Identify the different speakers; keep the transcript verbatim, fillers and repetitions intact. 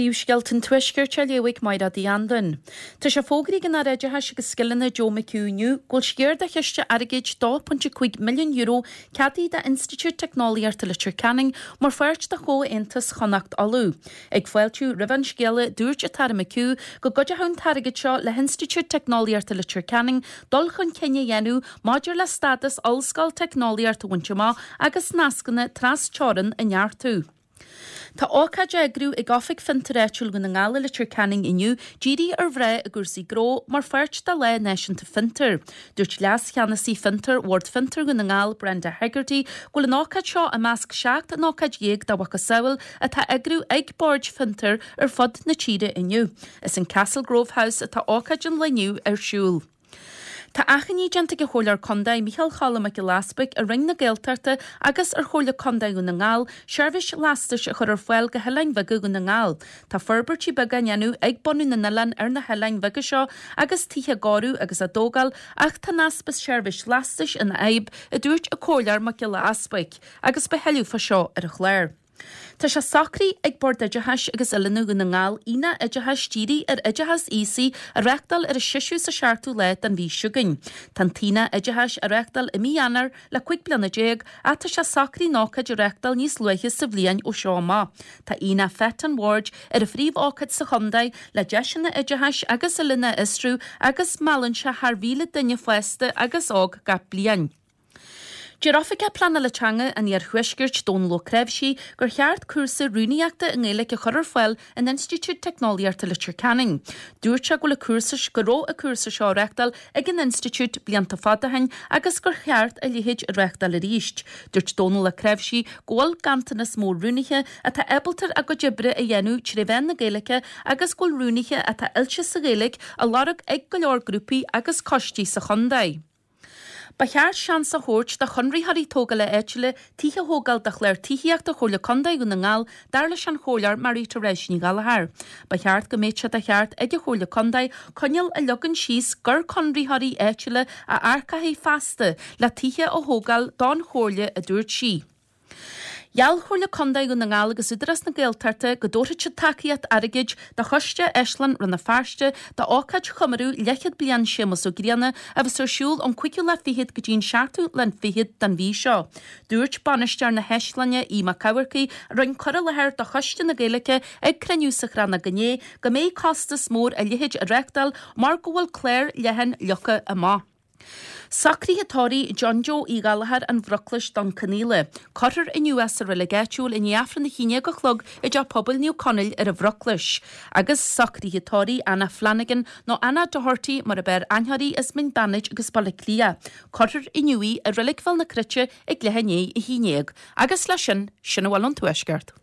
Speaker 1: Príomhscéalta an Tuaiscirt á léamh ag Máire Uí Anluain. Tá sé fógraithe ag an Aire Oideachais agus Scileanna Joe McHugh inniu go bhfuil sciar de chiste airgid dó pointe cúig milliún euro ceadaithe d'Institiúid Teicneolaíochta Leitir Ceanainn mar pháirt de Chomhaontas Chonnacht Uladh. Ag fáiltiú roimh an scéala dúirt an tAire McHugh go gcuideoidh an t-airgead seo le hInstitiúid Teicneolaíochta Leitir Ceanainn dul chun cinn a dhéanamh maidir le stádas ollscoil teicneolaíochta a bhaint amach agus nascanna trasteorann a neartú. Tá ócáid á eagrú ag Oifig Fiontar Áitiúil Dhún na nGall i Leitir Ceanainn inniu dírithe ar mhná i gcúrsaí gnó mar pháirt de Lá Náisiúnta Fiontar. Dúirt leas-cheannasaí Fiontar Bhord Fiontar Dhún na nGall Brenda Hegarty go bhfuil an ócáid seo i measc seacht n-ócáid dhéag dá mhacasamhail atá á eagrú ag boird fiontar ar fud na tíre inniu. Is in Castle Grove House atá ócáid an lae inniu ar siúl. Tá achainí déanta ag an Chomhairleoir Contae Micheál Choilm Mac Giolla Easbuig ar Roinn na Gaeltachta agus ar Chomhairle Contae Dhún na nGall seirbhís lastais a chur ar fáil go hoileáin bheaga Dhún na nGall. Tá forbairtí beaga á ndéanamh ag bunadh na n-oileán ar na hoileáin bheaga seo agus tithe á gcóiriú agus á dtógáil ach tá an easpa seirbhís lastais ina fhadhb, a dúirt an Comhairleoir Mac Giolla Easbuig, agus beidh tuilleadh fá seo ar an chlár. Tá sé socraithe ag Bord Oideachais agus Oiliúna Dhún na nGall aonach oideachais dírithe ar oideachas aosaigh a reáchtáil ar an seisiú is an seachtú lá den mhí seo chugainn. Tá an t-aonach oideachais á reáchtáil i mí Eanáir le cúig bliana déag ach tá sé socraithe an ócáid a reáchtáil níos luaithe sa bhliain ó seo amach. Tá aonach FET an Bhoird ar an phríomhócáid sa chontae le deiseanna oideachais agus oiliúna a fhiosrú agus meallann sé thar mhíle duine fásta agus óg gach bliain. Deir Oifigeach Pleanála Teanga an Iarthuaiscirt Dónal Ó Creabhsí gur cheart cúrsa rúnaíochta i nGaeilge a chur ar fáil in Institiúid Teicneolaíochta Leitir Ceanainn. Dúirt sé go bhfuil an cúrsa go raibh an cúrsa seo á reáchtáil ag an institiúid blianta fada ó shin agus gur cheart a leithéid a reáchtáil arís. Dúirt Dónal Ó Creabhsí go bhfuil ganntanas mór rúnaithe atá ábalta a gcuid oibre a dhéanamh trí mheán na Gaeilge agus go bhfuil rúnaithe atá oilte sa Ghaeilge á lorg ag go leor grúpaí agus coistí sa chontae. Ba cheart seans a thabhairt do chonraitheoirí tógála áitiúla tithe a thógáil do chlár tithíochta Chomhairle Contae Dhún na nGall dar leis an Chomhairleoir Mary Therese Ní Ghallchóir. Ba cheart go mbeadh sé de cheart ag an Chomhairle Contae coinníoll a leagan síos gur conraitheoirí áitiúla a earcófaí feasta le tithe a thógáil don Chomhairle a dúirt sí. Gheall Comhairle Contae Dhún na nGall agus Údarás na Gaeltachta go dtabharfaidh siad tacaíocht airgid do Choiste Áislann Rann na Feirste d'ócáid chomóradh leathchéad bliain Séamus Ó Grianna a bheas ar siúl ón cúigiú lá fichead go dtí an seachtú lá fichead den mhí seo. Dúirt bainisteoir na hÁislainne Aodh Mac Eamharcaigh a rinne cur i láthair do Choiste na Gaeilge ag cruinniú sa Chrannóg inné go mbeidh costas mór a leithéid a reáchtáil mar go bhfuil clár leathan leagtha amach. Socruithe tórraimh John Joe Uí Ghallchóir an Bhruclais Dún Conaola. Cuirfear inniu é sa reilig áitiúil i ndiaidh Aifreann a haon déag a chlog i dTeach Pobail Naomh Conaill ar an Bhruclais. Agus socruithe tórraimh Anna Flanagan nó Anna Doherty mar ab fhearr aithne uirthi as Mín Beannaid agus Baile Átha Cliath. Cuirfear inniu í i reilig Bhéal na Cruite ag leath i ndiaidh a haon déag. Agus leis sin, sin a bhfuil ón Tuaisceart.